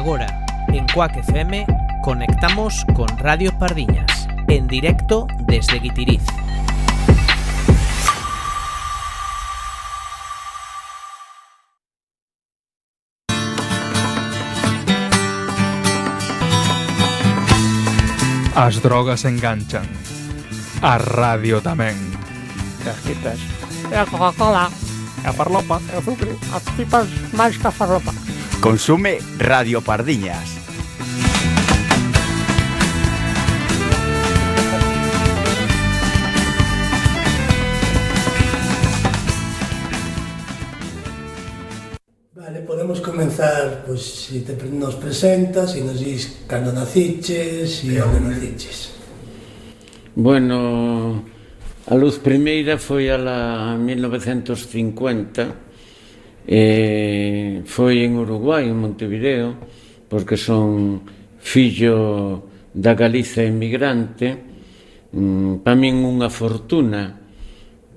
Agora, en Cuac FM, conectamos con Radio Pardiñas, en directo desde Guitiriz. As drogas enganchan. A radio tamén. As tipas. E a Coca-Cola. E a farlopa, e o azúcar. As tipas máis que a farlopa. Consume Radio Pardiñas. Vale, podemos comenzar, pois, se te nos presentas, se nos dis cando naciches e onde naciches. Bueno, a luz primeira foi a la 1950, foi en Uruguai, en Montevideo, porque son fillo da Galiza emigrante. Para min unha fortuna,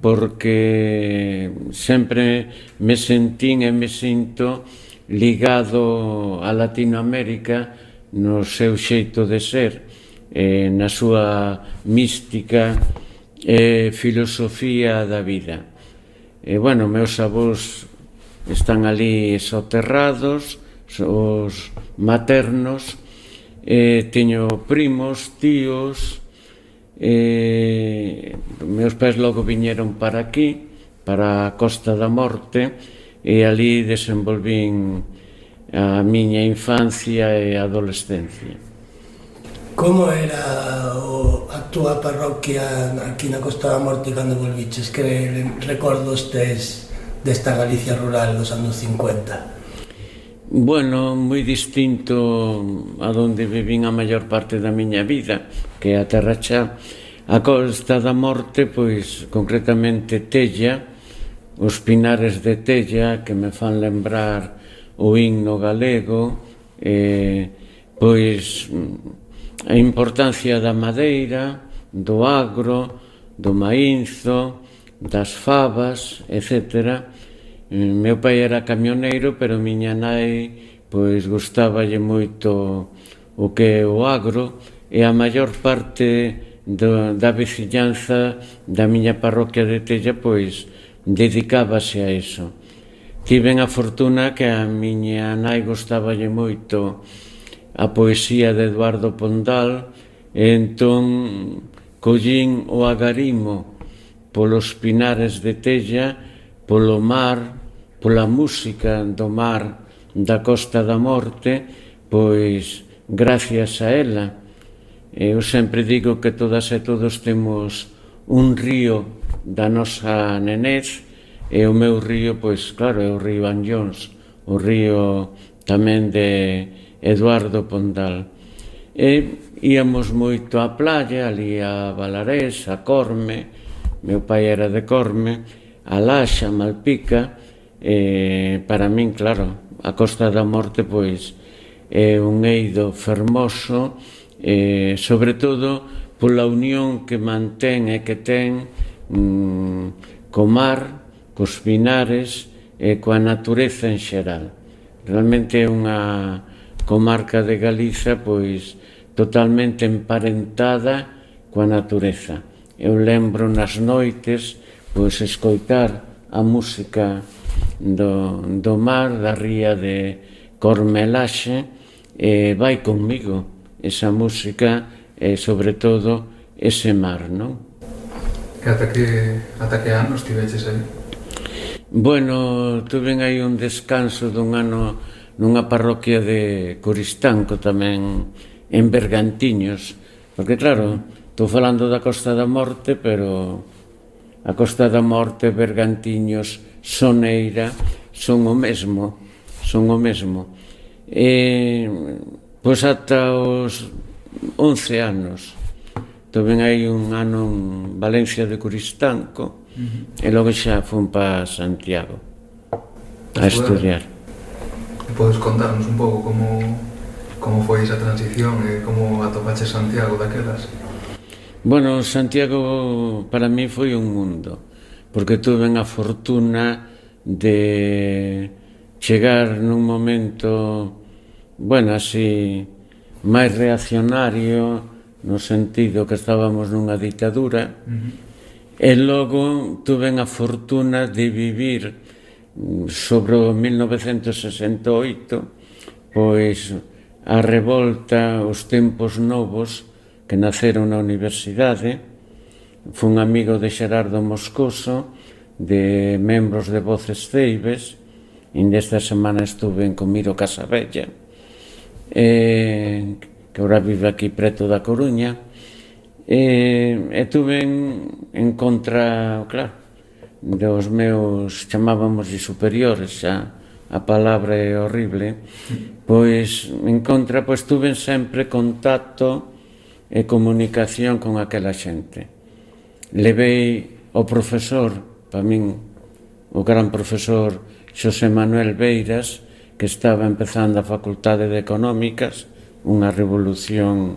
porque sempre me sentín e me sinto ligado a Latinoamérica no seu xeito de ser, na súa mística e filosofía da vida. Bueno, meus avós están ali soterrados, os maternos, teño primos, tíos. Meus pais logo viñeron para aquí, para a Costa da Morte, e ali desenvolvín a miña infancia e adolescencia. Como era a túa parroquia aquí na Costa da Morte cando volviches? Que recordos tes desta Galicia rural dos anos 50? Bueno, moi distinto a donde vivín a maior parte da miña vida, que é a Terra Chá. A Costa da Morte, pois, concretamente Tella, os pinares de Tella, que me fan lembrar o himno galego, pois, a importancia da madeira, do agro, do maínzo, das fabas, etcétera. Meu pai era camioneiro, pero miña nai pois gustáballe moito o que é o agro, e a maior parte da veciñanza da miña parroquia de Tella pois dedicábase a eso. Tiven a fortuna que a miña nai gustáballe moito a poesía de Eduardo Pondal, e entón collín o agarimo polos pinares de Tella, polo mar, pola música do mar da Costa da Morte, pois gracias a ela. Eu sempre digo que todas e todos temos un río da nosa nenez, e o meu río, pois claro, é o río Anllóns, o río tamén de Eduardo Pondal. E íamos moito á playa, ali a Balarés, a Corme, meu pai era de Corme, a Laxa, a Malpica. Para min, claro, a Costa da Morte pois é un eido fermoso, sobre todo pola unión que mantén e que ten co mar, cos pinares e coa natureza en xeral. Realmente é unha comarca de Galiza pois totalmente emparentada coa natureza. Eu lembro nas noites pois escoitar a música do mar, da ría de Cormelaxe, vai comigo esa música e sobre todo ese mar, non? Ata que anos tiveches aí? Bueno, tuve aí un descanso dun ano nunha parroquia de Coristanco, tamén en Bergantiños, porque claro, estou falando da Costa da Morte, pero a Costa da Morte, Bergantiños, Soneira, son o mesmo. Pois ata os 11 anos. Tuve aí un ano en Valencia de Coristanco, e logo xa fun para Santiago a estudiar. Podes contarnos un pouco como foi esa transición e como atopaches Santiago daquelas? Bueno, Santiago para mí foi un mundo, porque tuve a fortuna de chegar nun momento bueno, así, máis reaccionario, no sentido que estábamos nunha ditadura, e logo tuve a fortuna de vivir sobre o 1968, pois a revolta, os tempos novos que naceron na universidade. Fun amigo de Xerardo Moscoso, de membros de Voces Ceibes, e desta semana estuve en Comiro Casabella, que agora vive aquí preto da Coruña, e tuve en contra, claro, dos meus, chamábamos de superiores, xa a palabra é horrible, pois en contra, pois tuve sempre contacto e comunicación con aquela xente. Levei o profesor, para min, o gran profesor Xosé Manuel Beiras, que estaba empezando a Facultade de Económicas, unha revolución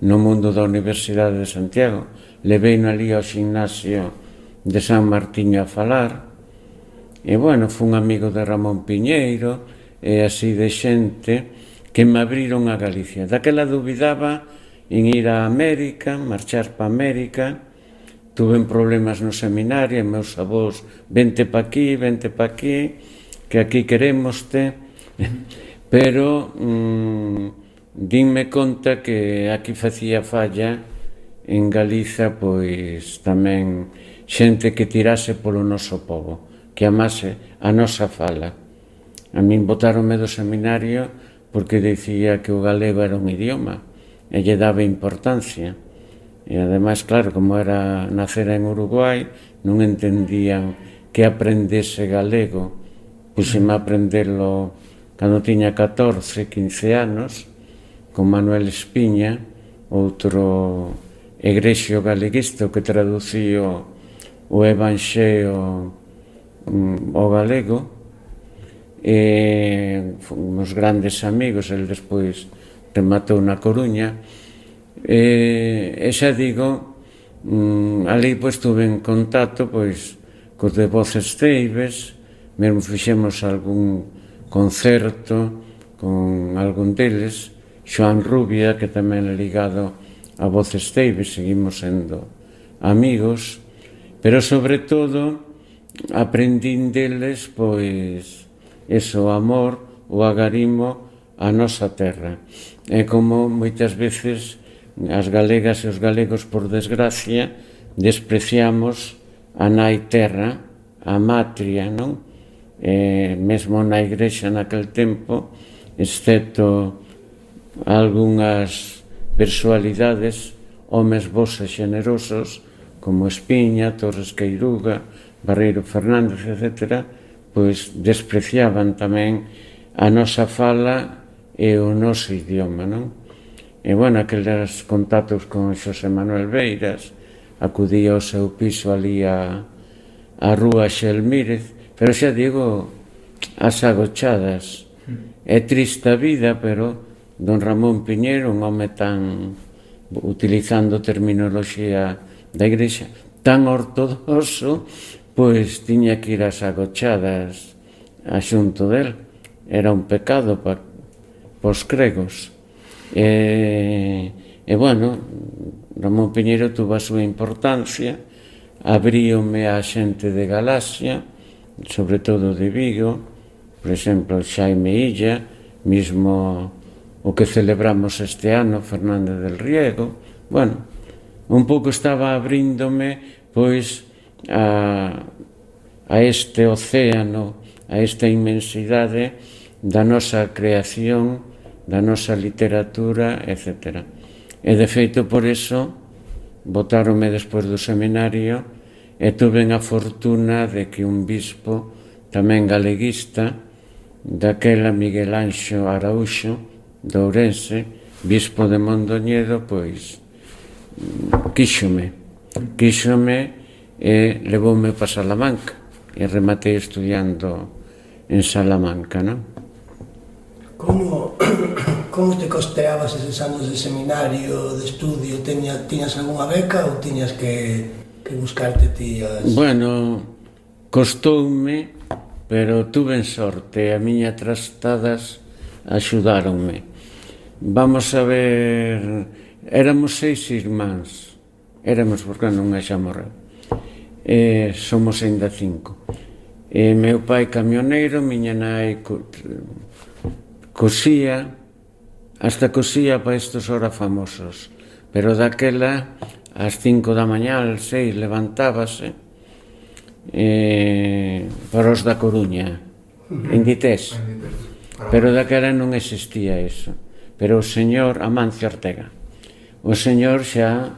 no mundo da Universidade de Santiago. Leveino ali ao gimnasio de San Martiño a falar, e, bueno, fun amigo de Ramón Piñeiro, e así de xente que me abriron a Galicia. Daquela dubidaba en ir a América, marchar pa América. Tuve problemas no seminario, e meus avós, vente pa aquí, que aquí querémoste, pero dinme conta que aquí facía falla en Galiza, pois tamén xente que tirase polo noso povo, que amase a nosa fala. A min botaronme do seminario porque dicía que o galego era un idioma e lle daba importancia. E ademais, claro, como era nacer en Uruguai, non entendían que aprendese galego. Puxeme a aprendelo cando tiña 14, 15 anos, con Manuel Espiña, outro egrexio galeguista que traducío o Evanxeo ao galego, e fomos grandes amigos. El despois rematou na Coruña, e xa digo, ali pois tuve en contacto pois cos de Voces Ceibes, mesmo fixemos algún concerto con algún deles. Xoan Rubia, que tamén é ligado a Voces Ceibes, seguimos sendo amigos, pero sobre todo aprendín deles pois eso, o amor, o agarimo a nosa terra. É como moitas veces as galegas e os galegos, por desgracia, despreciamos a nai terra, a matria, non? Mesmo na igrexa naquel tempo, excepto algunhas personalidades, homes bos e xenerosos, como Espiña, Torres Queiruga, Barreiro Fernández, etc., pois despreciaban tamén a nosa fala e o noso idioma, non? E, bueno, aqueles contactos con Xosé Manuel Beiras, acudía ao seu piso ali a Rúa Xelmírez, pero xa digo, as agochadas. É triste a vida, pero don Ramón Piñeiro, un home tan, utilizando terminoloxía da igrexa, tan ortodoxo, pois tiña que ir ás agochadas a xunto del. Era un pecado para os gregos. E, bueno, Ramón Piñeiro tuvo a súa importancia, abríome a xente de Galaxia, sobre todo de Vigo, por exemplo, Xaime Illa, mismo o que celebramos este ano, Fernández del Riego. Bueno, un pouco estaba abríndome pois a este océano, a esta inmensidade da nosa creación, da nosa literatura, etc. E, de feito, por eso, botáronme despois do seminario e tuve a fortuna de que un bispo, tamén galeguista, daquela Miguel Anxo Araúxo, de Ourense, bispo de Mondoñedo, pois, quíxome e levoume para Salamanca, e rematei estudiando en Salamanca, non? Como te costeabas eses anos de seminario, de estudio? Tiñas algunha beca ou tiñas que buscarte ti as... Bueno, costoume, pero tuve en sorte. A miña trastadas axudáronme. Vamos a ver, éramos 6 irmáns, éramos porque non xa morreu, somos ainda 5. Meu pai camioneiro, miña nai cosía, hasta cosía para estes ora famosos, pero daquela ás 5 da mañá, ás 6 levantábase para os da Coruña, en Dités, pero daquela non existía eso. Pero o señor Amancio Ortega, o señor xa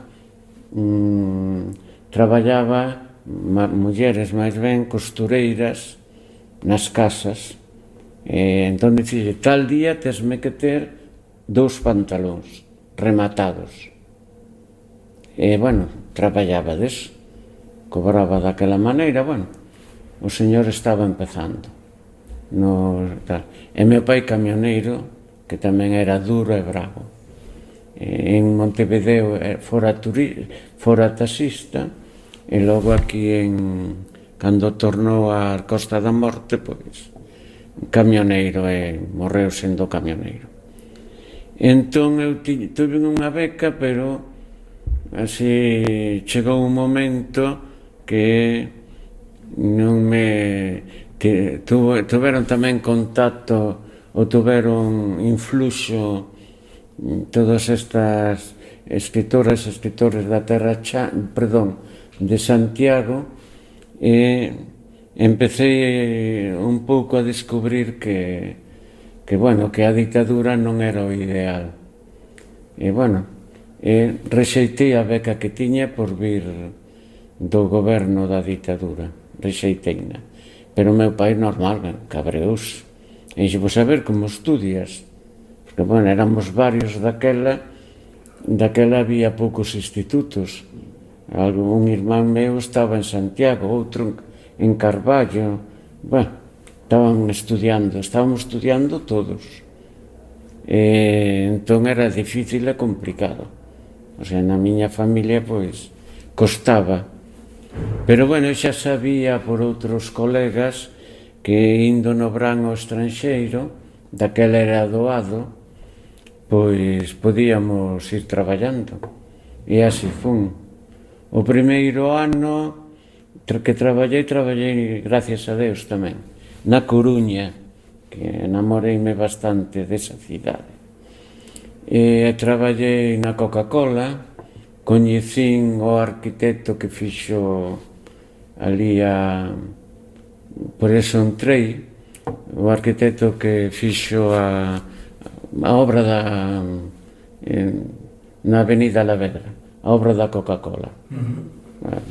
traballaba, mulleres máis ben, costureiras nas casas. Entón dicille, tal día tesme que ter 2 pantalóns rematados. Bueno, traballaba deso, cobraba daquela maneira, bueno, o señor estaba empezando. E meu pai camioneiro, que tamén era duro e bravo. En Montevideo fora taxista, e logo aquí, cando tornou á Costa da Morte, pois, camioneiro, e morreu sendo camioneiro. Entón, eu tuve unha beca, pero así chegou un momento que non me... Tuveron tamén contacto ou tuveron influxo todas estas escritores da terra de Santiago, e empecé un pouco a descubrir que a ditadura non era o ideal. E rexeitei a beca que tiña por vir do goberno da ditadura, rexeiteina. Pero o meu pai normal, cabreouse. E dixo, a ver como estudias, porque, éramos varios daquela había poucos institutos. Un irmán meu estaba en Santiago, outro en Carballo, estábamos estudiando todos. Entón era difícil e complicado. O sea, na miña familia, pois, costaba. Pero, xa sabía por outros colegas que indo no verán ao estranxeiro, daquela era doado, pois podíamos ir traballando. E así fun. O primeiro ano que traballei, gracias a Deus tamén, na Coruña, que enamoreime bastante desa cidade. E traballei na Coca-Cola, coñecín o arquitecto que fixo ali por eso entrei, o arquitecto que fixo a obra na Avenida Alavedra, a obra da Coca-Cola.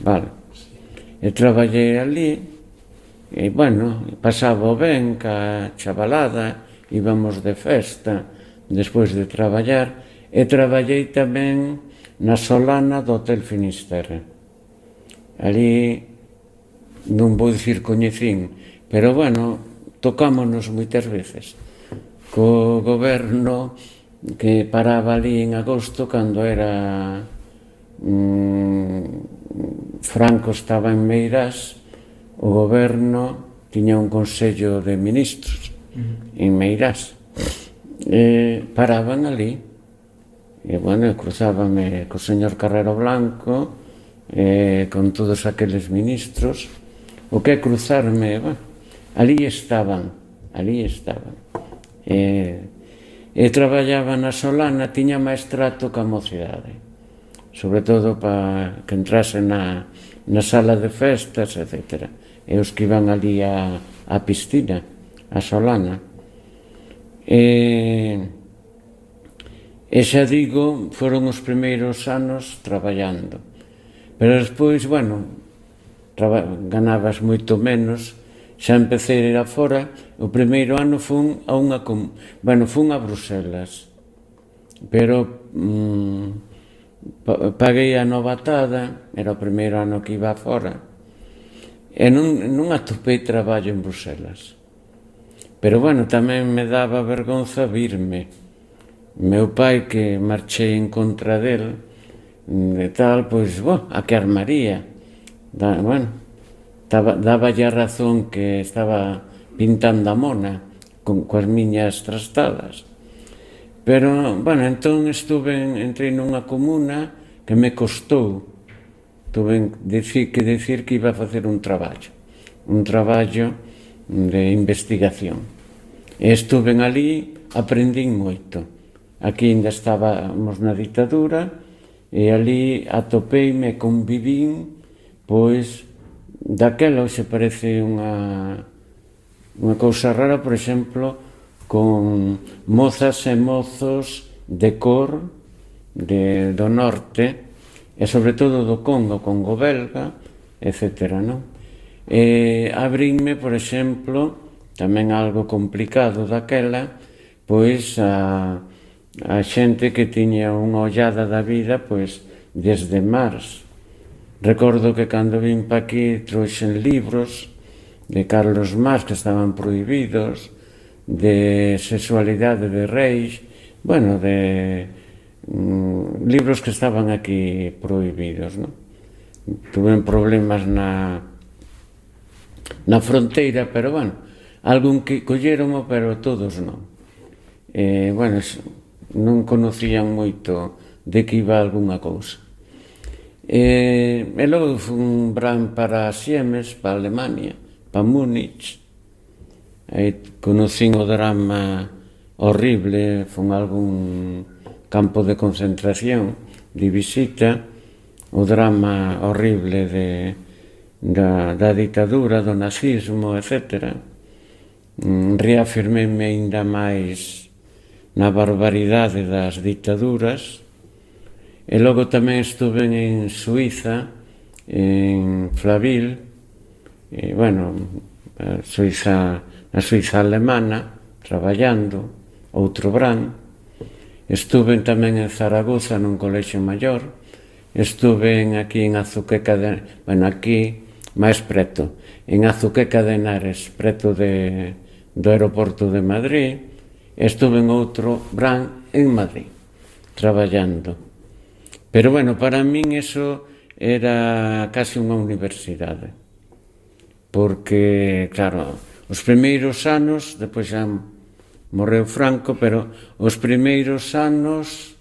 Vale. E traballei ali, e pasaba ben ca chavalada, íbamos de festa despois de traballar, e traballei tamén na Solana do Hotel Finisterre. Ali non vou dicir coñecín, pero tocámonos moitas veces co goberno que paraba ali en agosto, cando era Franco estaba en Meirás, o goberno tiña un consello de ministros en Meirás, paraban ali, e cruzábame co señor Carrero Blanco, con todos aqueles ministros. O que cruzarme, ali estaban. E traballaba na Solana, tiña máis trato ca mocidade, sobre todo para que entrase na sala de festas, etc. E os que iban ali a piscina, a Solana. E xa digo, foron os primeiros anos traballando. Pero despois, ganabas moito menos, xa empecé a ir afora. O primeiro ano fun a Bruselas, pero paguei a novatada, era o primeiro ano que iba afora, e non atopei traballo en Bruselas. Pero tamén me daba vergonza virme. Meu pai, que marchei en contra del, e tal, pois, a que armaría. Daba a razón que estaba pintando a mona, coas miñas trastadas. Pero, bueno, entón entrei nunha comuna que me costou. Tuve que decir que iba a facer un traballo de investigación. E estuve ali, aprendín moito. Aquí ainda estábamos na ditadura e ali atopeime, convivín, pois, daquela hoxe parece unha cousa rara, por exemplo, con mozas e mozos de cor do norte e sobre todo do Congo belga, etc. E abrínme, por exemplo, tamén algo complicado daquela, pois a xente que tiña unha ollada da vida, pois desde Mars. Recordo que cando vim pa aquí trouxen libros de Carlos Marx que estaban prohibidos, de sexualidade de reis, bueno, de libros que estaban aquí prohibidos, non? Tuven problemas na fronteira, pero, bueno, algún que colleromo, pero todos non. Bueno, non conocían moito de que iba algunha cousa. E logo fun bran para Siemens, para Alemania, para Múnich. Aí conocín o drama horrible, fun a algún campo de concentración de visita, o drama horrible da ditadura, do nazismo, etc. Reafirmei-me ainda máis na barbaridade das ditaduras. E logo tamén estuve en Suiza, en Flaville, bueno, na Suiza alemana, traballando, outro brán. Estuve tamén en Zaragoza, nun colexio maior. Estuve aquí en Azuqueca de... Bueno, aquí, máis preto, en Azuqueca de Henares, preto do aeroporto de Madrid. Estuve en outro brán en Madrid, traballando. Pero, bueno, para min eso era casi unha universidade. Porque, claro, os primeiros anos, depois xa morreu Franco, pero os primeiros anos,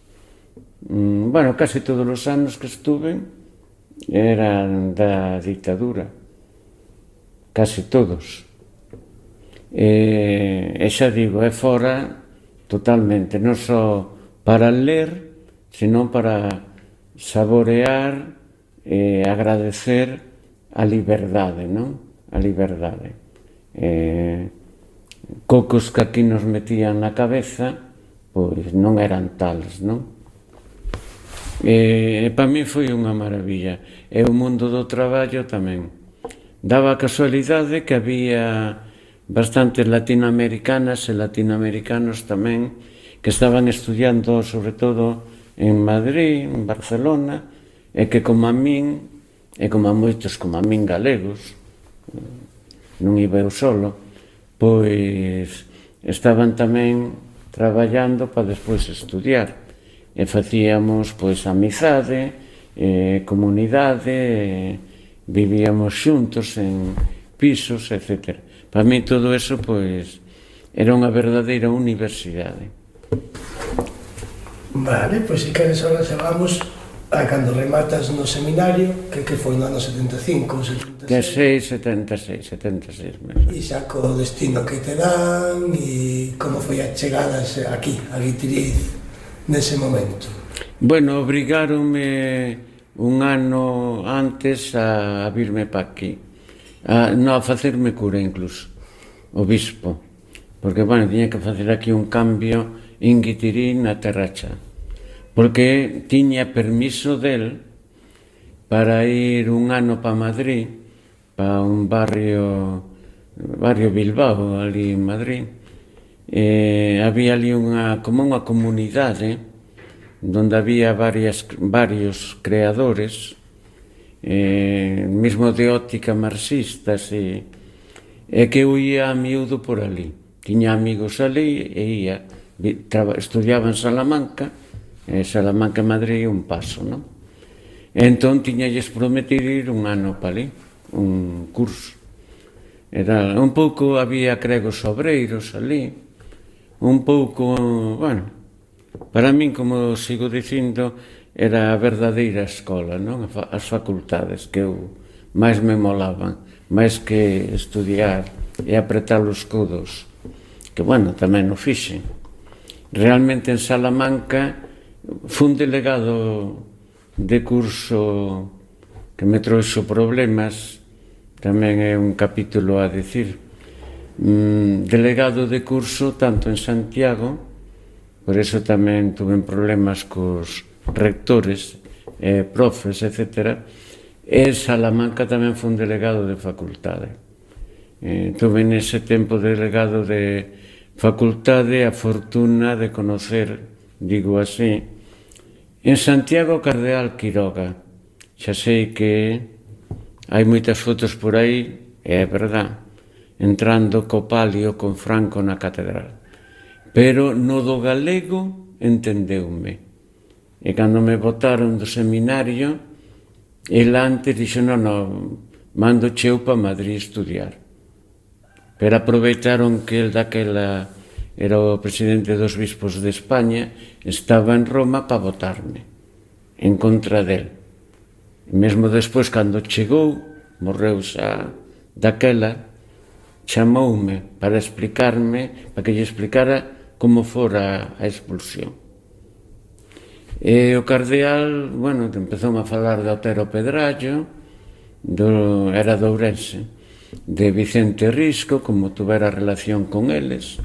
bueno, casi todos os anos que estuve eran da ditadura. Casi todos. E xa digo, é fora totalmente, non só para ler, sino para saborear e agradecer a liberdade, non? A liberdade. Cocos que aquí nos metían na cabeza, pois non eran tales, non? E para mí foi unha maravilla. E o mundo do traballo tamén. Daba a casualidade que había bastantes latinoamericanas e latinoamericanos tamén que estaban estudiando, sobre todo, en Madrid, en Barcelona, e que como a min, e como a moitos como a min galegos, non iba eu solo, pois estaban tamén traballando para despois estudiar, e facíamos pois amizade, comunidade, vivíamos xuntos en pisos, etc. Para mí todo eso pois era unha verdadeira universidade. Vale, pois se queres agora xa vamos a cando rematas no seminario, que foi no ano 75, 76. Que 76 mesmo. E xa co destino que te dan e como foi a chegada aquí, a Guitiriz, nese momento. Bueno, obrigáronme un ano antes a virme pa aquí, a facerme cura incluso, o bispo, porque, bueno, tiña que facer aquí un cambio en Guitirín na Terracha, porque tiña permiso del para ir un ano pa Madrid, pa un barrio Bilbao, ali en Madrid. Había ali como unha comunidade donde había varios creadores, mesmo de óptica marxistas, e que eu ia a miúdo por ali. Tiña amigos ali e ia. Estudiaba en Salamanca, Salamanca e Madrid un paso, non? Entón tiñalles prometido ir un ano para ali, un curso. Era un pouco, había cregos obreiros ali, un pouco, bueno, para min, como sigo dicindo, era a verdadeira escola, non? As facultades que eu máis me molaban, máis que estudiar e apretar os codos, que, bueno, tamén o fixen. Realmente en Salamanca fun delegado de curso que me trouxo problemas, tamén é un capítulo a decir. Delegado de curso tanto en Santiago, por eso tamén tuve problemas cos rectores, profes, etc. E en Salamanca tamén fun delegado de facultade. Tuve nese tempo delegado de facultade a fortuna de conocer, digo así, en Santiago Cardeal Quiroga. Xa sei que hai moitas fotos por aí, e é verdad, entrando co palio con Franco na catedral. Pero no do galego entendeume. E cando me botaron do seminario, el antes dixo, non, mando cheu pa Madrid estudiar. Pero aproveitaron que el daquela era o presidente dos bispos de España, estaba en Roma para votarme en contra del. E mesmo despois, cando chegou, morreu xa daquela, chamoume para explicarme, para que lle explicara como fora a expulsión. E o cardeal, bueno, empezou a falar de Otero Pedrallo, era de Ourense, de Vicente Risco, como tuvera relación con eles,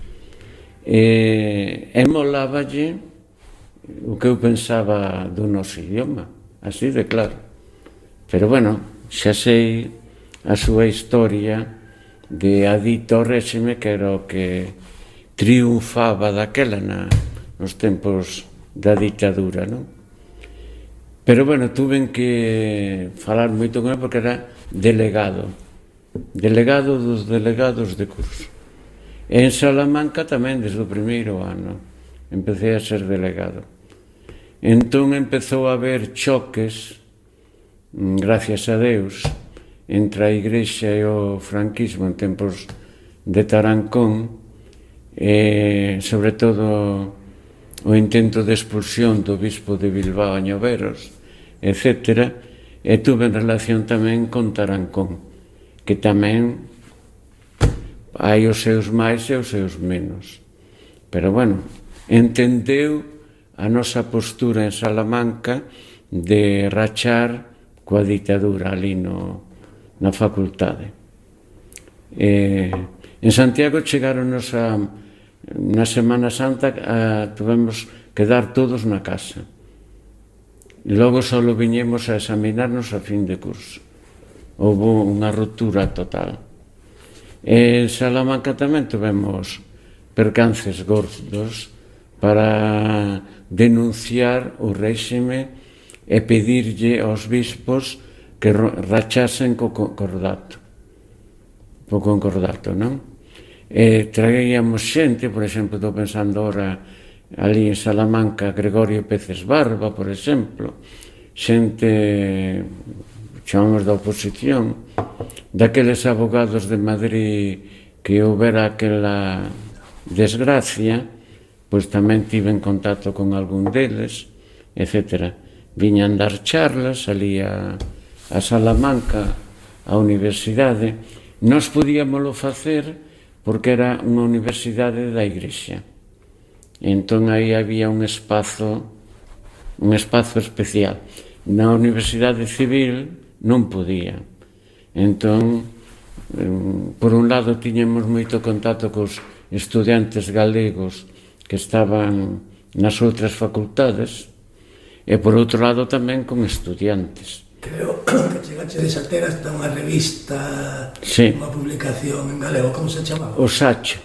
e moláballe o que eu pensaba do noso idioma, así de claro. Pero, bueno, xa sei a súa historia de adicto ao réxime, que era o que triunfaba daquela nos tempos da ditadura, non? Pero, bueno, tuve que falar moito con ele porque era delegado dos delegados de curso. E en Salamanca tamén, desde o primeiro ano, empecé a ser delegado. Entón empezou a haber choques, gracias a Deus, entre a Igrexa e o franquismo en tempos de Tarancón, e sobre todo o intento de expulsión do bispo de Bilbao a Ñoveros, etc. E tuve relación tamén con Tarancón, que tamén hai os seus máis e os seus menos. Pero, bueno, entendeu a nosa postura en Salamanca de rachar coa ditadura ali na facultade. En Santiago chegaronos na Semana Santa, tuvemos que dar todos na casa. E logo só viñemos a examinarnos a fin de curso. Houve unha ruptura total. En Salamanca tamén tuvemos percances gordos para denunciar o réxime e pedirlle aos bispos que rachasen co concordato, non? E traíamos xente, por exemplo, estou pensando ahora ali en Salamanca, Gregorio Peces Barba, por exemplo, xente, chamamos da oposición, daqueles abogados de Madrid que houbera aquela desgracia, pois tamén tive en contacto con algún deles, etc. Viñan dar charlas ali a Salamanca, a universidade. Nós podíamolo facer porque era unha universidade da Igrexa. Entón aí había un espazo especial. Na Universidade Civil non podía. Entón, por un lado, tiñamos moito contacto cos estudiantes galegos que estaban nas outras facultades, e por outro lado tamén con estudiantes. Creo que chegache a ter hasta unha revista, sí, unha publicación en galego, como se chamaba? O Sacho.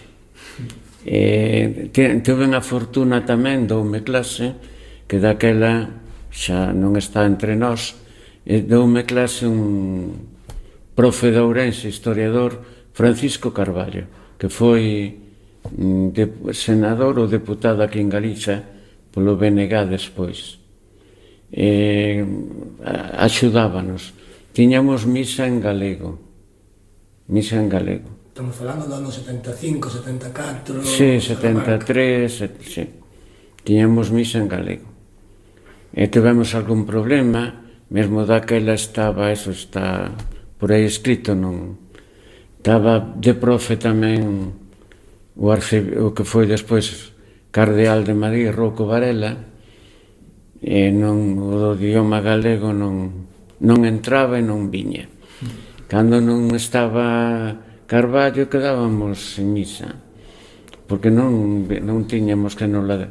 Tuve a fortuna tamén, doume clase, que daquela xa non está entre nós, doume clase un profe de Ourense, historiador, Francisco Carballo, que foi senador ou deputado aquí en Galiza polo BNG despois. Axudábanos. Tiñamos misa en galego misa en galego. Estamos falando do ano 75, 74... Sí, 73, sí. Tiñamos misa en galego. E tivemos algún problema, mesmo daquela estaba, eso está por aí escrito, non? Estaba de profe tamén o que foi despois cardeal de Madrid, Rouco Varela, e non, o do idioma galego non entraba e non viña. Cando non estaba Carballo quedábamos en misa, porque non tiñamos que non la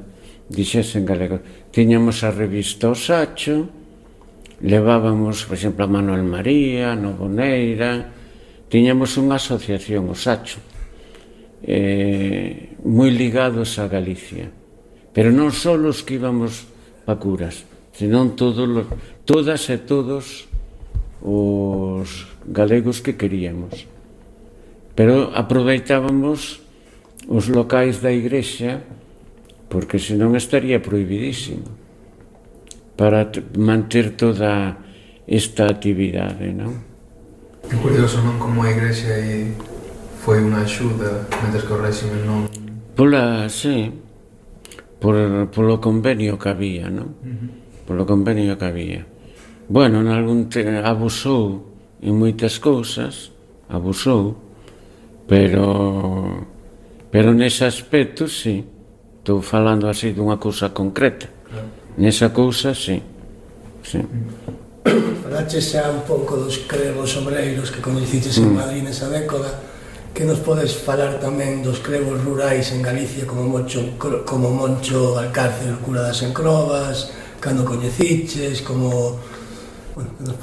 dixese en galego. Tiñamos a revista O Sacho, levábamos, por exemplo, a Manuel María, Novoneira, tiñamos unha asociación, O Sacho, moi ligados a Galicia, pero non só os que íbamos pa curas, senón todas e todos os galegos que queríamos. Pero aproveitábamos os locais da igrexa, porque senón estaría prohibidísimo, para manter toda esta actividade, non? É curioso, non, como a igrexa aí foi unha axuda, mentres que o réxime non... Sí, polo convenio que había, non? Polo convenio que había. Bueno, abusou en moitas cousas, pero nese aspecto, sí. Estou falando así dunha cousa concreta. Nesa cousa, sí. Falaches xa un pouco dos crebos obreiros que coñeciches en Madrid nesa década. Que nos podes falar tamén dos crebos rurais en Galicia como Moncho Alcárcer, o cura das Encrobas, cando coñeciches, como...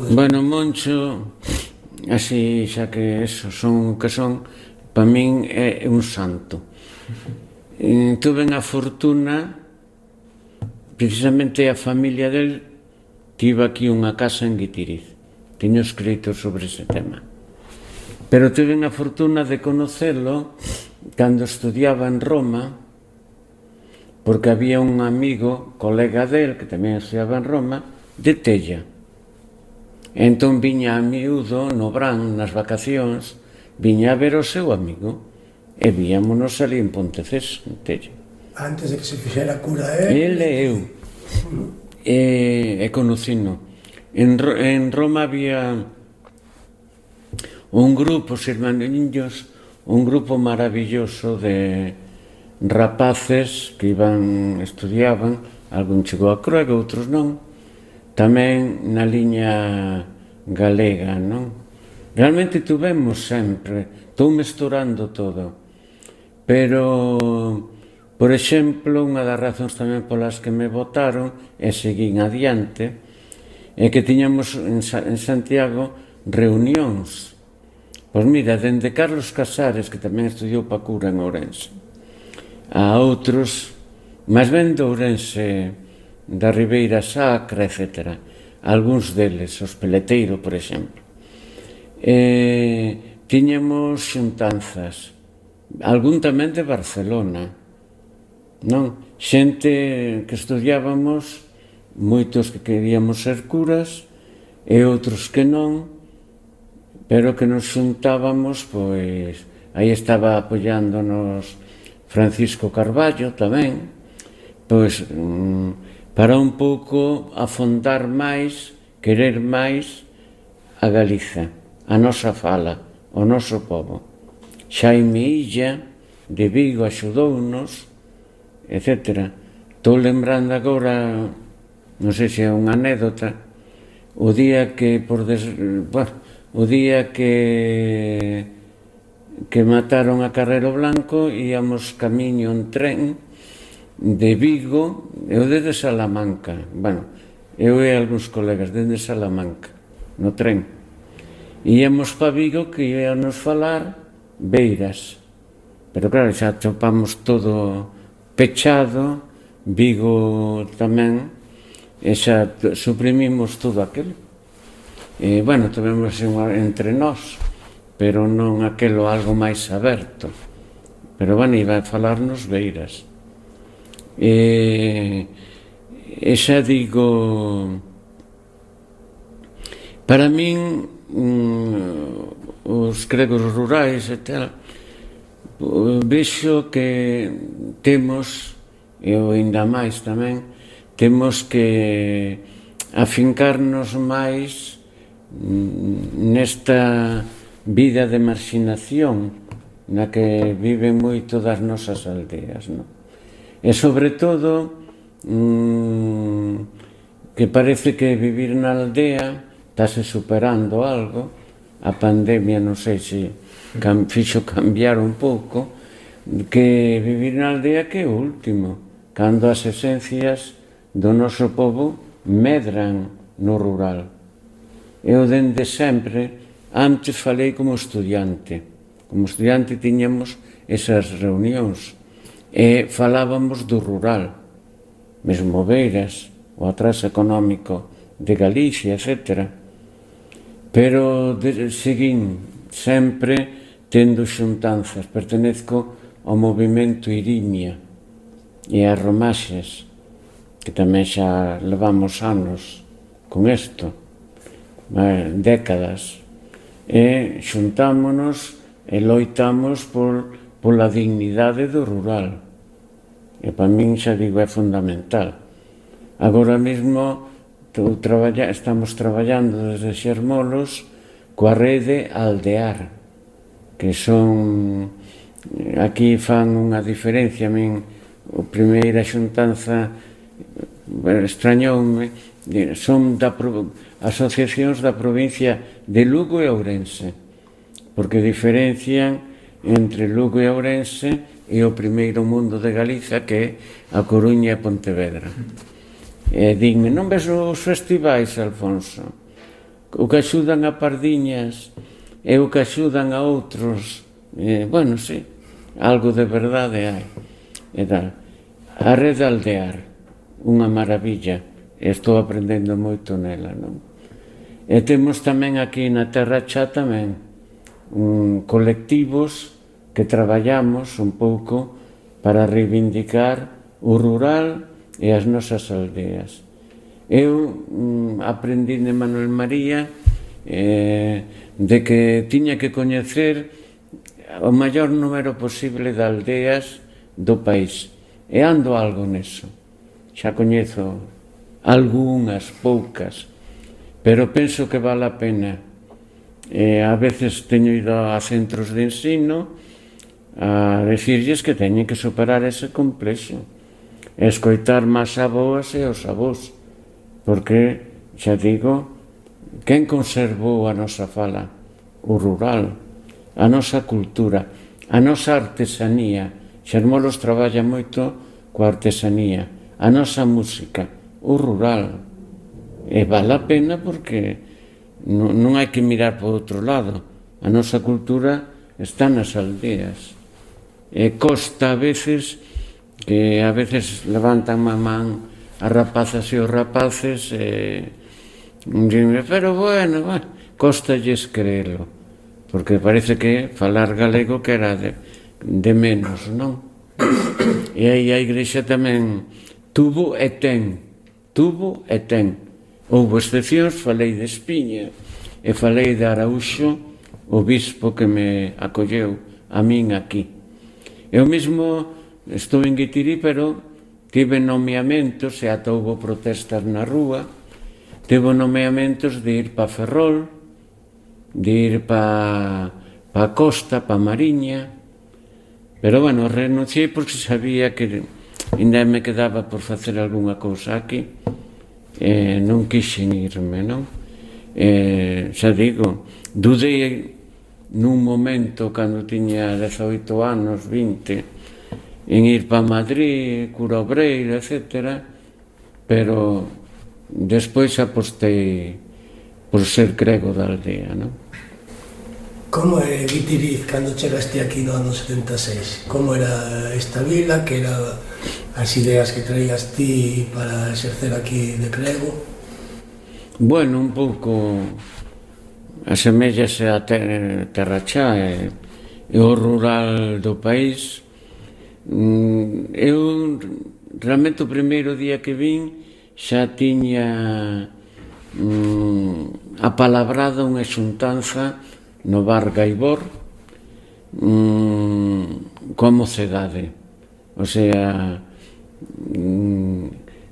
Bueno, Moncho, así xa que eso, para min é un santo. Tuve a fortuna, precisamente a familia del tivo aquí unha casa en Guitiriz. Teño escrito sobre ese tema. Pero tuve a fortuna de conocelo cando estudiaba en Roma, porque había un amigo, colega del, que tamén estudiaba en Roma, de Tella. Entón viña a miúdo no Brán, nas vacacións, viña a ver o seu amigo, e víamonos ali en Pontecés, en Tella. Antes de que se fixera cura ele e eu. E conocino. En Roma había un grupo, os irmaniños, un grupo maravilloso de rapaces que estudiaban, algún chegou a Cruega, outros non, tamén na liña galega, non? Realmente tuvemos sempre, estou mesturando todo, pero, por exemplo, unha das razóns tamén polas que me votaron e seguín adiante é que tiñamos en Santiago reunións. Pois mira, dende Carlos Casares, que tamén estudiou pa cura en Ourense, a outros, máis ben de Ourense, da Ribeira Sacra, etc. Algúns deles, os Peleteiro, por exemplo. Tiñamos xuntanzas, algún tamén de Barcelona, non? Xente que estudiábamos, moitos que queríamos ser curas e outros que non, pero que nos xuntábamos, pois, aí estaba apoiándonos Francisco Carballo tamén, pois, para un pouco afondar máis, querer máis a Galiza, a nosa fala, o noso pobo. Xaime Illa, de Vigo, axudounos, etc. Estou lembrando agora, non sei se é unha anécdota, o día que mataron a Carrero Blanco, íamos camiño en tren de Vigo, eu desde Salamanca, eu e algúns colegas desde Salamanca, no tren. Íamos pa Vigo que íamos falar Beiras, pero claro, xa topamos todo pechado, Vigo tamén, e xa suprimimos todo aquilo. E, tivemos entre nós, pero non aquelo algo máis aberto. Pero, iba a falarnos Beiras. E xa digo, para min, os cregos rurais e tal, vexo que temos, e ainda máis tamén, temos que afincarnos máis nesta vida de marxinación na que viven moito das nosas aldeas, non? E sobre todo que parece que vivir na aldea estase superando algo. A pandemia non sei se fixo cambiar un pouco, que vivir na aldea que é o último, cando as esencias do noso povo medran no rural. Eu dende sempre, antes falei como estudiante tiñamos esas reunións e falábamos do rural, mesmo Beiras, o atraso económico de Galicia, etc. Pero seguín sempre tendo xuntanzas, pertenezco ao movimento Irimia e a Romaxes, que tamén xa levamos anos con isto, décadas, e xuntámonos e loitamos pola dignidade do rural, e para min, xa digo, é fundamental. Agora mesmo estamos traballando desde Xermolos coa rede Aldear, que son, aquí fan unha diferencia. A min, a primeira xuntanza extrañoume, son asociacións da provincia de Lugo e Ourense, porque diferencian entre Lugo e Ourense e o primeiro mundo de Galiza, que é a Coruña e Pontevedra. E dime, non ves os festivais, Alfonso? O que axudan a Pardiñas e o que axudan a outros. Bueno, sí, algo de verdade hai. E tal. A rede Aldear, unha maravilla, estou aprendendo moito nela, non? E temos tamén aquí na Terra Chá tamén colectivos que traballamos un pouco para reivindicar o rural e as nosas aldeas. Eu aprendi de Manuel María de que tiña que coñecer o maior número posible de aldeas do país, e ando algo neso. Xa coñezo algunhas, poucas, pero penso que vale a pena. A veces teño ido a centros de ensino a decirlles que teñen que superar ese complexo, escoitar máis aboas e os avós, porque, xa digo, quen conservou a nosa fala? O rural, a nosa cultura, a nosa artesanía. Xermolos traballa moito coa artesanía, a nosa música, o rural. E vale a pena porque non hai que mirar por outro lado. A nosa cultura está nas aldeas. E costa a veces que levantan a man as rapazas e os rapaces e dime, pero bueno, costalles creelo, porque parece que falar galego que era de menos, non? E aí a Igrexa tamén tuvo e ten. Houbo excepcións, falei de Espiña e falei de Araúxo, o bispo que me acolleu a min aquí. Eu mesmo estou en Guitirí, pero tive nomeamentos, e ata houbo protestas na rúa, tive nomeamentos de ir para Ferrol, de ir para a costa, para Mariña, pero, bueno, renunciei porque sabía que ainda me quedaba por facer algunha cousa aquí. Non quixen irme, non? Xa digo, dudei nun momento cando tiña 18 anos, 20, en ir para Madrid, Cura Obreira, etc. Pero despois apostei por ser crego da aldea, non? Como é Guitiriz cando chegaste aquí no ano 76? Como era esta vila? Que era as ideas que traías ti para exercer aquí de crego? Bueno, un pouco asemellase a Terra Chá e o rural do país. Eu realmente o primeiro día que vin xa tiña apalabrada unha xuntanza no bar Gaibor, coa mocedade. O sea,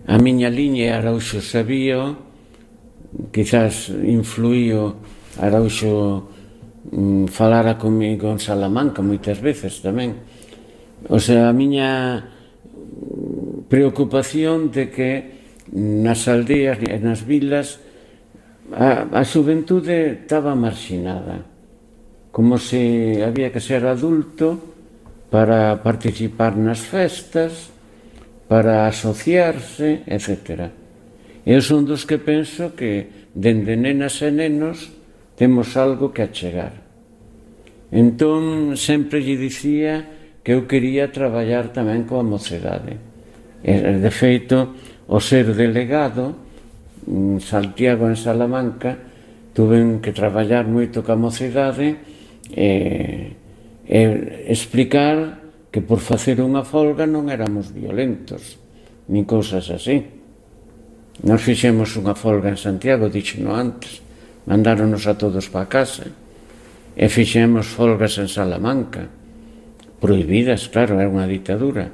a miña liña Araúxo sabía, quizás influío Araúxo falara comigo en Salamanca moitas veces tamén. O sea, a miña preocupación de que nas aldeas e nas vilas a xuventude estaba marxinada, como se había que ser adulto para participar nas festas, para asociarse, etc. Eu son dos que penso que dende nenas e nenos temos algo que achegar. Entón, sempre lle dicía que eu quería traballar tamén coa mocedade. De feito, o ser delegado en Santiago, en Salamanca, tuve que traballar moito coa mocedade e explicar que por facer unha folga non éramos violentos, nin cousas así. Nos fixemos unha folga en Santiago, díxeno antes, mandáronos a todos para casa, e fixemos folgas en Salamanca, prohibidas, claro, era unha ditadura,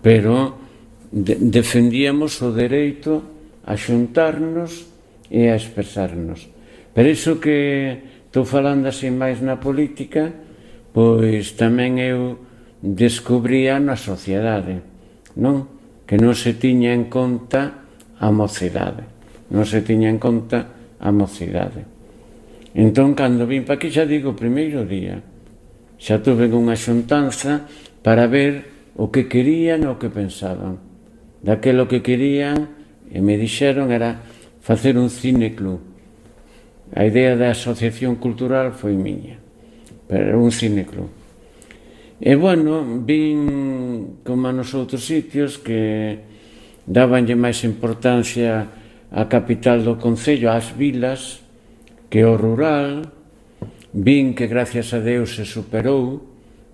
pero defendíamos o dereito a xuntarnos e a expresarnos. Pero iso que estou falando así máis na política, pois tamén eu descubría na sociedade, non? Que non se tiña en conta a mocidade, non se tiña en conta a mocidade. Entón, cando vim pa aquí, xa digo, o primeiro día, xa tuve unha xuntanza para ver o que querían e o que pensaban. Daquelo que querían, e me dixeron, era facer un cineclub. A idea da asociación cultural foi miña, pero era un cineclub. E, bueno, vin como nos outros sitios que dabanlle máis importancia á capital do concello, ás vilas, que o rural. Vin que, gracias a Deus, se superou,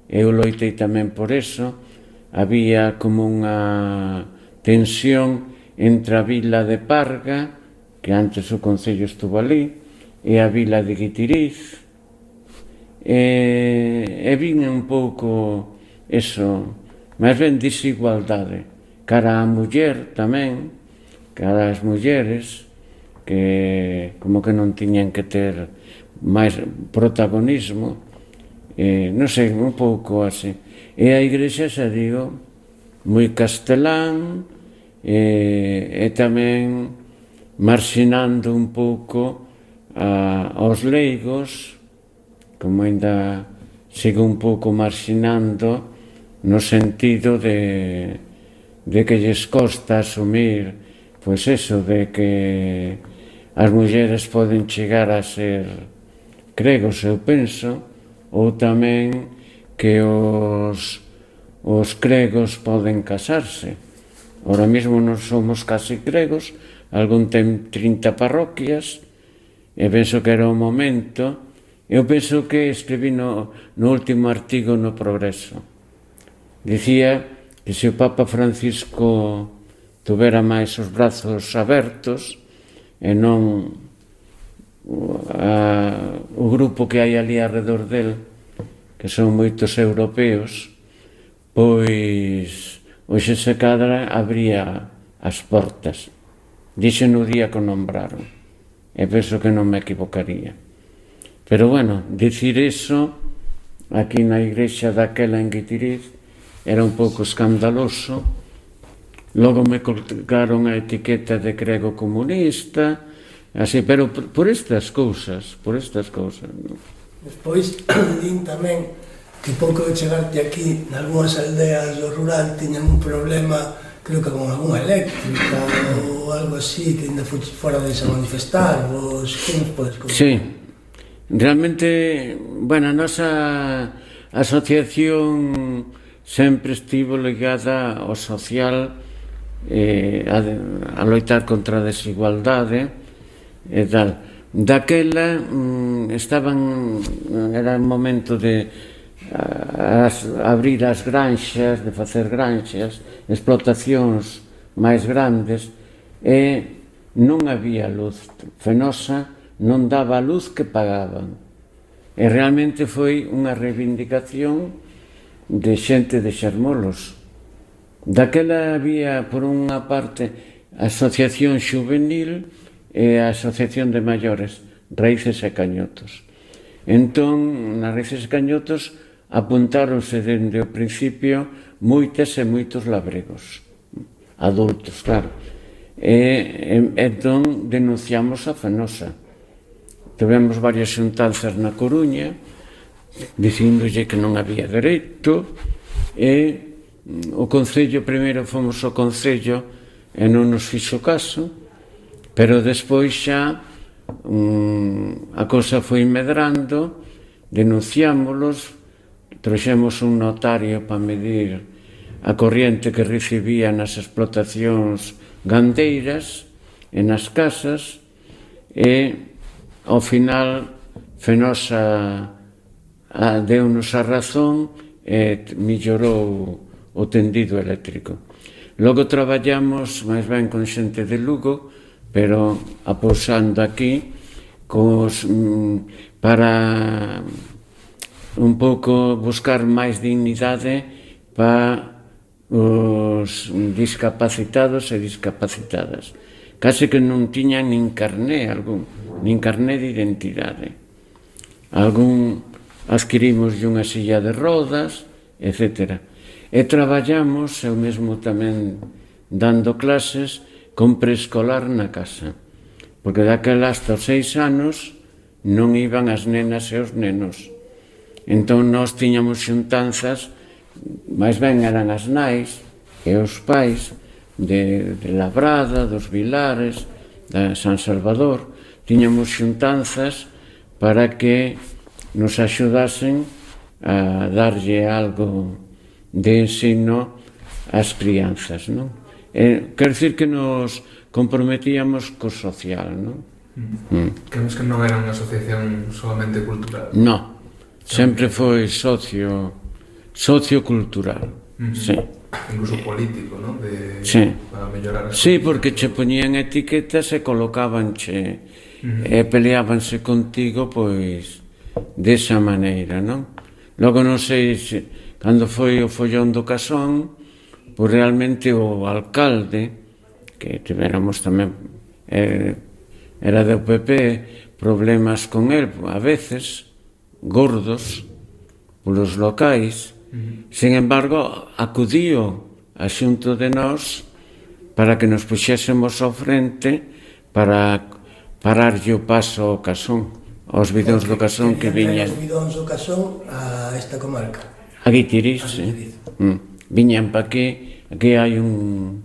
eu loitei tamén por eso. Había como unha tensión entre a vila de Parga, que antes o concello estuvo ali, e a vila de Guitiriz, e vin un pouco eso, máis ben desigualdade, cara á muller tamén, cara ás mulleres, que como que non tiñan que ter máis protagonismo, non sei, un pouco así. E a igrexa, xa digo, moi castelán, e tamén marxinando un pouco aos leigos, como ainda sigo un pouco marxinando no sentido de que lles costa asumir, pois eso, de que as mulleres poden chegar a ser cregos, eu penso, ou tamén que os cregos poden casarse. Ahora mesmo non somos casi cregos, algún ten 30 parroquias, e penso que era o momento. Eu penso que escribí no último artigo no Progreso. Dicía que se o Papa Francisco tuvera máis os brazos abertos e non o grupo que hai ali alrededor del, que son moitos europeos, pois hoxe se cadra abría as portas. Dixen no día que o nombraron, e penso que non me equivocaría. Pero, bueno, dicir eso aquí na igrexa daquela en Guitiriz era un pouco escandaloso. Logo me colgaron a etiqueta de crego comunista, así, pero por estas cousas, non? Despois, din tamén que pouco de chegarte aquí, nalgúnas aldeas do rural tiñan un problema, creo que con algunha eléctrica ou algo así, que ainda fora de a manifestar, vos, que nos podes contar? Sí, realmente, bueno, a nosa asociación sempre estivo ligada ao social, a loitar contra a desigualdade e tal. Daquela era un momento de abrir as granxas, de facer granxas, explotacións máis grandes, e non había luz. Fenosa non daba a luz que pagaban. E realmente foi unha reivindicación de xente de Xermolos. Daquela había, por unha parte, a Asociación Xuvenil e a Asociación de Maiores, Raíces e Cañotos. Entón, nas Raíces e Cañotos apuntáronse dende o principio moitas e moitos labregos, adultos, claro. E entón denunciamos a Fenosa. Tivemos varias xuntanzas na Coruña dicíndolle que non había dereito, e o Concello, primeiro fomos ao Concello e non nos fixo caso, pero despois xa a cosa foi medrando, denunciámolos, trouxemos un notario para medir a corriente que recibía nas explotacións gandeiras e nas casas, e ao final Fenosa deu-nos a razón e mellorou o tendido eléctrico. Logo traballamos máis ben con xente de Lugo, pero apousando aquí para un pouco buscar máis dignidade para os discapacitados e discapacitadas. Case que non tiñan nin carné algún, nin carné de identidade. Algún adquirimos unha silla de rodas, etc. E traballamos, eu mesmo tamén dando clases, con preescolar na casa. Porque daquela hasta os 6 anos non iban as nenas e os nenos. Entón nós tiñamos xuntanzas, máis ben eran as nais e os pais de Labrada, dos Vilares, de San Salvador. Tiñamos xuntanzas para que nos axudasen a darlle algo de ensino ás crianzas, non? Quer dicir que nos comprometíamos co social, non? Creemos que non era unha asociación solamente cultural. Non, sempre foi sociocultural, sí. Incluso político, non? Sí. Para mellorar as Sí, porque che poñían etiquetas e colocábanche e peleábanse contigo, pois, desa maneira, non? Logo non sei se, cando foi o follón do Casón, pois realmente o alcalde, que tivéramos tamén, era do PP, problemas con el, a veces, gordos, polos locais. Sin embargo, acudío a xunto de nós para que nos puxésemos ao frente para pararlle o paso ao Casón, aos bidóns do Casón que viñan. Os bidóns do Casón a esta comarca. A Guitiriz, sí. Viñan pa aquí hai un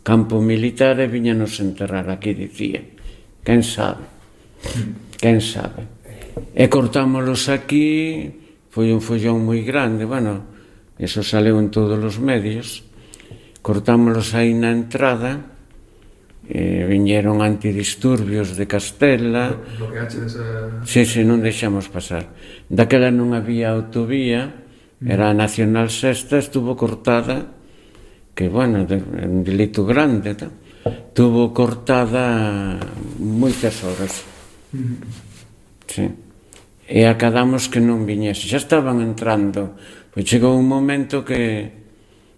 campo militar e viñanos enterrar aquí, dicía. Quen sabe? Quen sabe? E cortámolos aquí. Foi un follón moi grande, bueno, eso saleu en todos os medios. Cortámolos aí na entrada, viñeron antidisturbios de Castela. Bloqueaxe desa... Sí, non deixamos pasar. Daquela non había autovía, era a Nacional Sexta, estuvo cortada, que, bueno, un delito grande, estuvo cortada moitas horas. Sí. E acadamos que non viñese, xa estaban entrando, pois chegou un momento que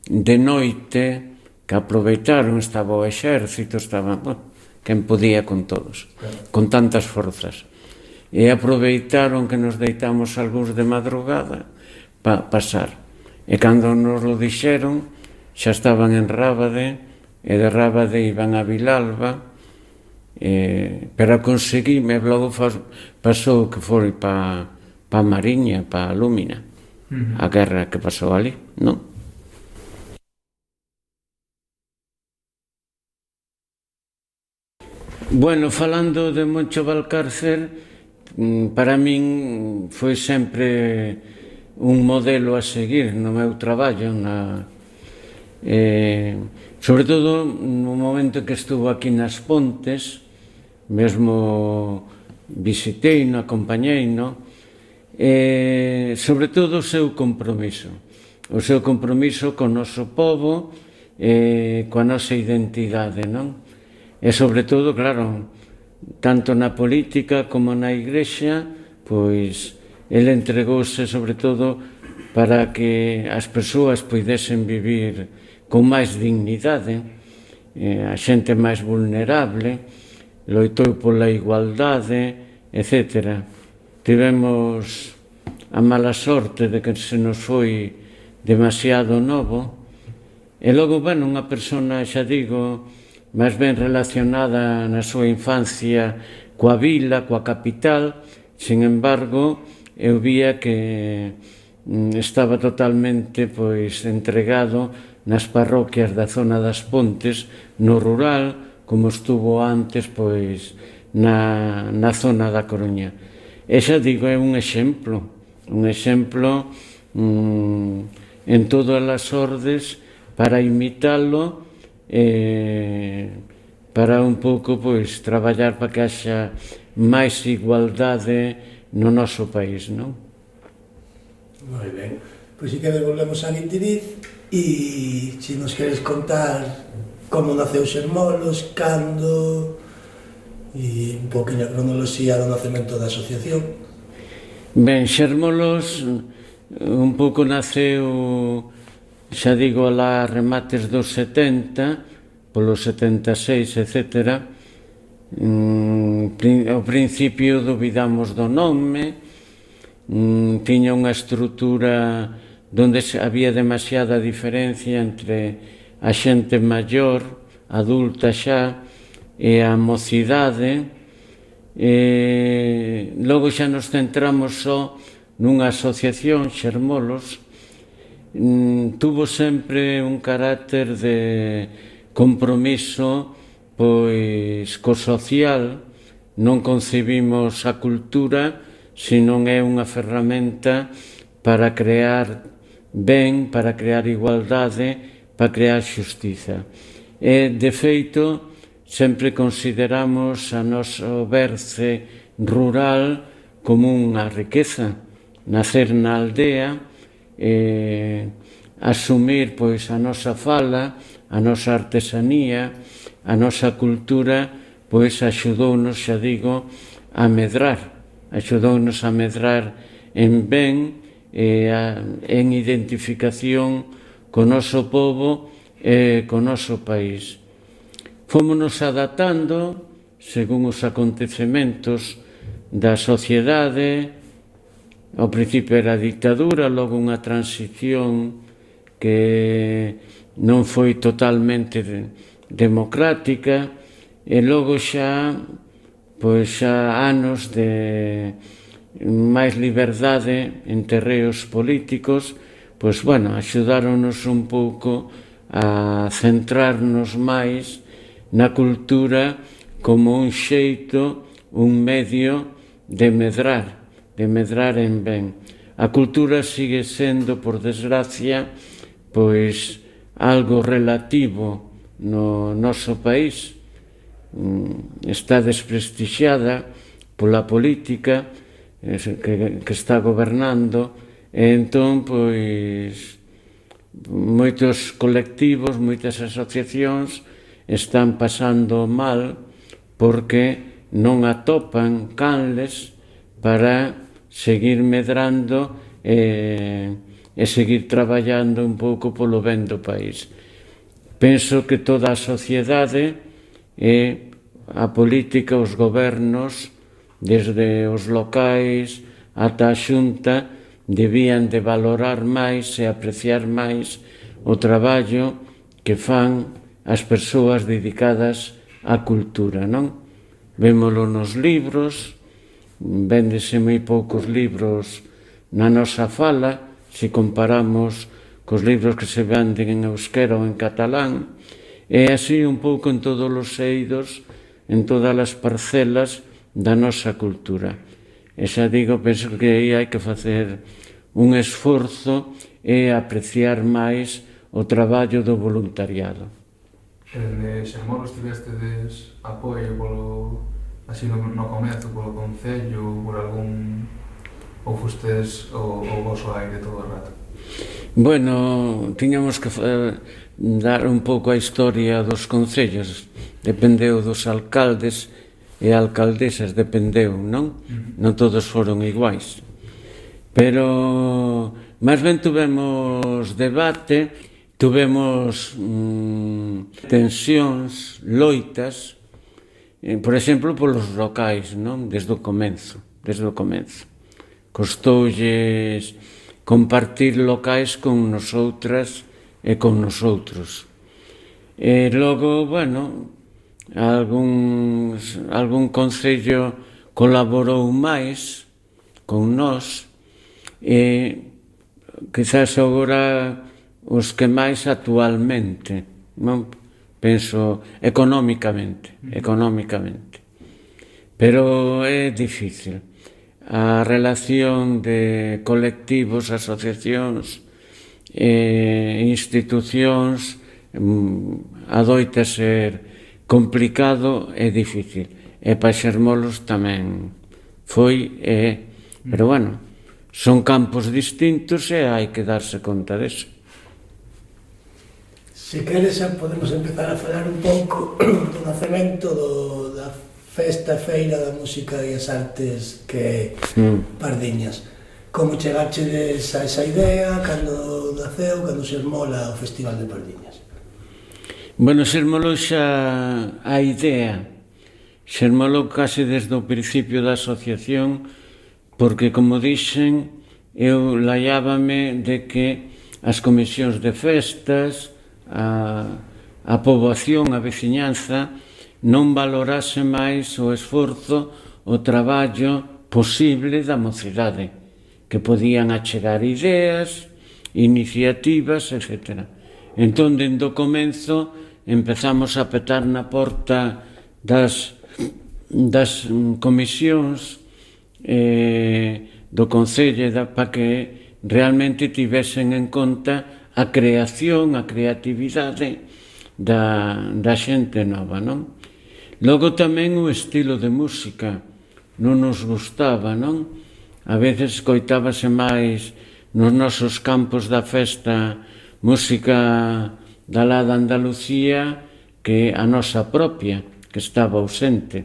de noite que aproveitaron, estaba o exército, estaba, bueno, quen podía con todos, con tantas forzas, e aproveitaron que nos deitamos algúns de madrugada para pasar, e cando nos lo dixeron xa estaban en Rábade, e de Rábade iban a Vilalba, pero conseguime, logo pasou que foi para Mariña, para Lúmina, a guerra que pasou ali, non? Bueno, falando de Moncho Valcárcer, para min foi sempre un modelo a seguir no meu traballo, sobre todo no momento que estuvo aquí nas Pontes, mesmo visiteino, acompañeino, sobre todo o seu compromiso co noso povo, coa nosa identidade, non? E sobre todo, claro, tanto na política como na igrexa, pois ele entregouse sobre todo para que as persoas poidesen vivir con máis dignidade, a xente máis vulnerable, loitou pola igualdade, etc. Tivemos a mala sorte de que se nos foi demasiado novo, e logo, bueno, unha persona, xa digo, máis ben relacionada na súa infancia coa vila, coa capital. Sin embargo, eu vía que estaba totalmente entregado nas parroquias da zona das Pontes, no rural, como estuvo antes na zona da Coruña. E xa digo, é un exemplo en todas as ordes para imitalo, para un pouco traballar para que haxa máis igualdade no noso país, non? Moi ben, pois si que volvemos a Guitiriz e se nos queres contar como naceu Xermolos, cando e un poquinho a cronoloxía do nacemento da asociación. Ben, Xermolos un pouco naceu, xa digo, alá remates dos 70, polos 76, etc. Ao principio dubidamos do nome, tiña unha estrutura donde había demasiada diferencia entre a xente maior, adulta xa, e a mocidade. Logo xa nos centramos só nunha asociación, Xermolos. Tuvo sempre un carácter de compromiso co social. Non concebimos a cultura senón é unha ferramenta para crear ben, para crear igualdade, para crear xustiza. E, de feito, sempre consideramos a noso berce rural como unha riqueza. Nacer na aldea, asumir a nosa fala, a nosa artesanía, a nosa cultura, axudounos, xa digo, a medrar. Axudounos a medrar en ben, en identificación co noso pobo e co noso país. Fómonos adaptando según os acontecementos da sociedade. Ao principio era a dictadura, logo unha transición que non foi totalmente democrática, e logo xa anos de máis liberdade en terreos políticos, axudáronos un pouco a centrarnos máis na cultura como un xeito, un medio de medrar en ben. A cultura sigue sendo, por desgracia, algo relativo no noso país. Está desprestixiada pola política que está gobernando, e entón, moitos colectivos, moitas asociacións están pasando mal porque non atopan canles para seguir medrando e seguir traballando un pouco polo ben do país. Penso que toda a sociedade e a política, os gobernos, desde os locais ata a Xunta, debían de valorar máis e apreciar máis o traballo que fan as persoas dedicadas á cultura, non? Vémolo nos libros, véndese moi poucos libros na nosa fala, se comparamos cos libros que se venden en euskera ou en catalán, e así un pouco en todos os eidos, en todas as parcelas da nosa cultura. E xa digo, penso que aí hai que facer un esforzo e apreciar máis o traballo do voluntariado. En Xermolos tivestedes apoio así no comezo, polo Concello, por algún... ou fustes o voso aire todo o rato? Bueno, tiñamos que dar un pouco a historia dos concellos. Dependeu dos alcaldes e alcaldesas, dependeu, non? Non todos foron iguais. Pero máis ben tuvemos debate, tuvemos tensións, loitas, por exemplo, polos locais, non? Desde o comenzo. Costoulles compartir locais con nosotras e con nosotros. E logo, bueno, algún concello colaborou máis con nós e quizás agora os que máis actualmente, non? Penso económicamente. Pero é difícil. A relación de colectivos, asociacións e institucións adoita ser complicado e difícil. E para Xermolos tamén foi e é. Pero bueno, son campos distintos e hai que darse conta deso. Se queres, podemos empezar a falar un pouco do nacemento da festa feira da música e as artes que é Pardiñas. Como chegachedes a esa idea, cando naceu, cando se esmola o Festival de Pardiñas? Bueno, se esmolou xa a idea, se esmolou case desde o principio da asociación, porque, como dixen, eu laiábame de que as comisións de festas, a poboación, a veciñanza, non valorase máis o esforzo, o traballo posible da mocidade, que podían achegar ideas, iniciativas, etc. Entón, dende o comenzo, empezamos a petar na porta das comisións do Concello para que realmente tivesen en conta a creación, a creatividade da xente nova, non? Logo tamén o estilo de música non nos gustaba, non? A veces escoitábase máis nos nosos campos da festa música da lá de Andalucía que a nosa propia, que estaba ausente.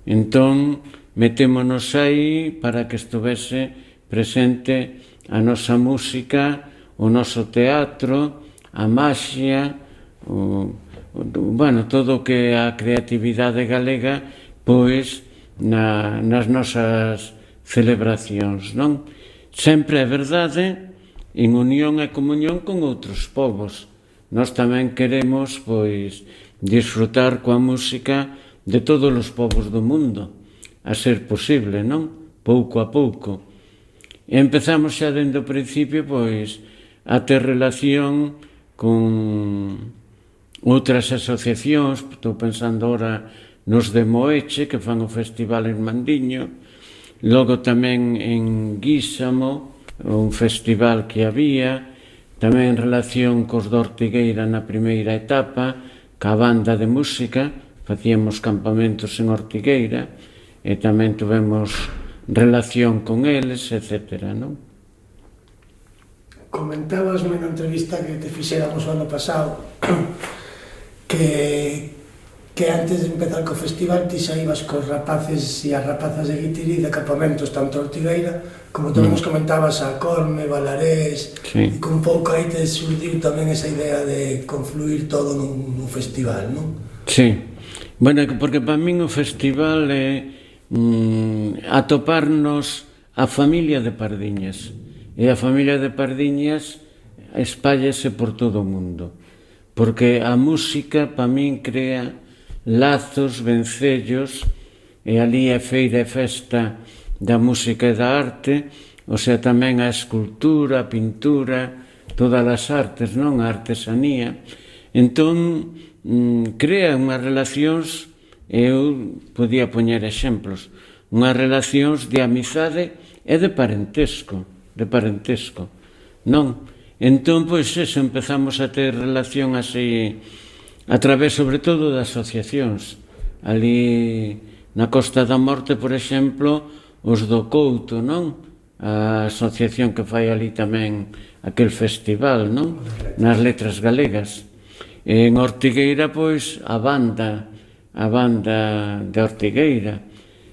Entón, metémonos aí para que estuvese presente a nosa música, o noso teatro, a maxia, bueno, todo o que a creatividade galega, pois, nas nosas celebracións, non? Sempre é verdade, en unión e comunión con outros povos. Nós tamén queremos, pois, disfrutar coa música de todos os povos do mundo, a ser posible, non? Pouco a pouco. E empezamos xa dende o principio, pois, a ter relación con outras asociacións, estou pensando ora nos de Moeche, que fan o festival en Mandiño, logo tamén en Guísamo, un festival que había, tamén en relación cos de Ortigueira na primeira etapa, ca banda de música, facíamos campamentos en Ortigueira, e tamén tuvemos relación con eles, etc., non? Comentabasme na entrevista que te fixéramos o ano pasado que antes de empezar co festival ti xa ibas cos rapaces e as rapazas de Guitiri de campamentos tanto a Ortigueira como tamén nos comentabas a Corme, Valarés, e con pouco aí te surdiu tamén esa idea de confluir todo nun festival, non? Sí, bueno, porque para min o festival é atoparnos a familia de Pardiñas, e a familia de Pardiñas espállase por todo o mundo, porque a música para min crea lazos, vencellos, e ali é feira e festa da música e da arte, o sea, tamén a escultura, a pintura, todas as artes, non? A artesanía. Entón, crea unhas relacións, eu podía poñer exemplos, unhas relacións de amizade e de parentesco, non? Entón, pois, eso, empezamos a ter relación así, a través, sobre todo, de asociacións. Ali, na Costa da Morte, por exemplo, os do Couto, non? A asociación que fai ali tamén aquel festival, non? Nas letras galegas. En Ortigueira, pois, a banda de Ortigueira.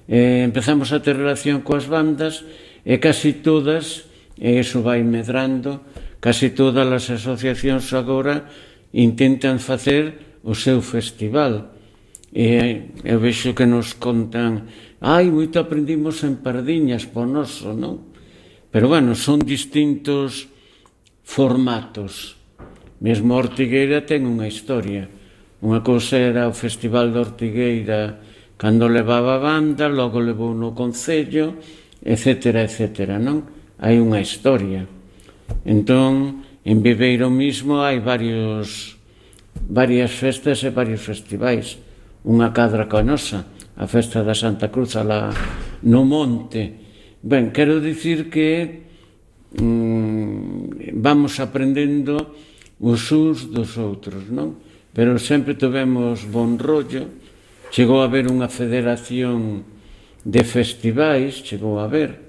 Empezamos a ter relación coas bandas E casi todas, e iso vai medrando, casi todas as asociacións agora intentan facer o seu festival. E eu vexo que nos contan, moito aprendimos en Pardiñas, po noso, non? Pero, bueno, son distintos formatos. Mesmo a Ortigueira ten unha historia. Unha cousa era o Festival de Ortigueira cando levaba a banda, logo levou no Concello, etcétera, etcétera, non? Hai unha historia. Entón, en Viveiro mismo hai varias festas e varios festivais. Unha cadra coa nosa, a festa da Santa Cruz alá no monte. Ben, quero dicir que vamos aprendendo os uns dos outros, non? Pero sempre tivemos bon rollo. Chegou a haber unha federación de festivais, chegou a haber,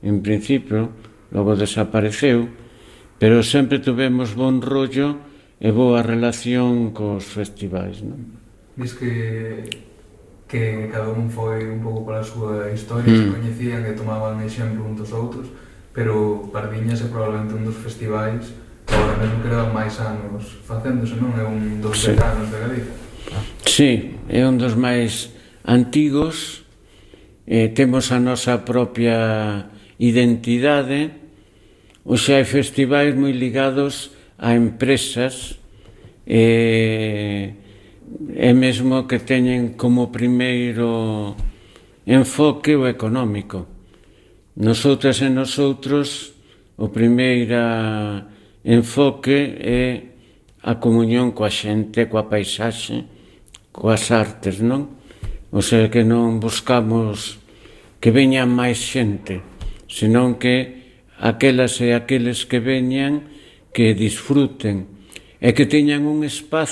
en principio, logo desapareceu, pero sempre tivemos bon rollo e boa relación cos festivais, non? Diz que cada un foi un pouco pola súa historia, se coñecían e tomaban exemplo un dos outros, pero Pardiñas é probablemente un dos festivais que agora mesmo quedan máis anos facéndose, non? É un dos veteranos de Galicia. Sí, é un dos máis antigos, temos a nosa propia identidade. Hoxe hai festivais moi ligados a empresas e mesmo que teñen como primeiro enfoque o económico. Nosotras e nosotros, o primeiro enfoque é a comunión coa xente, coa paisaxe, coas artes, non? O sea que non buscamos que veñan máis xente, senón que aquelas e aqueles que veñan que disfruten e que teñan un espazo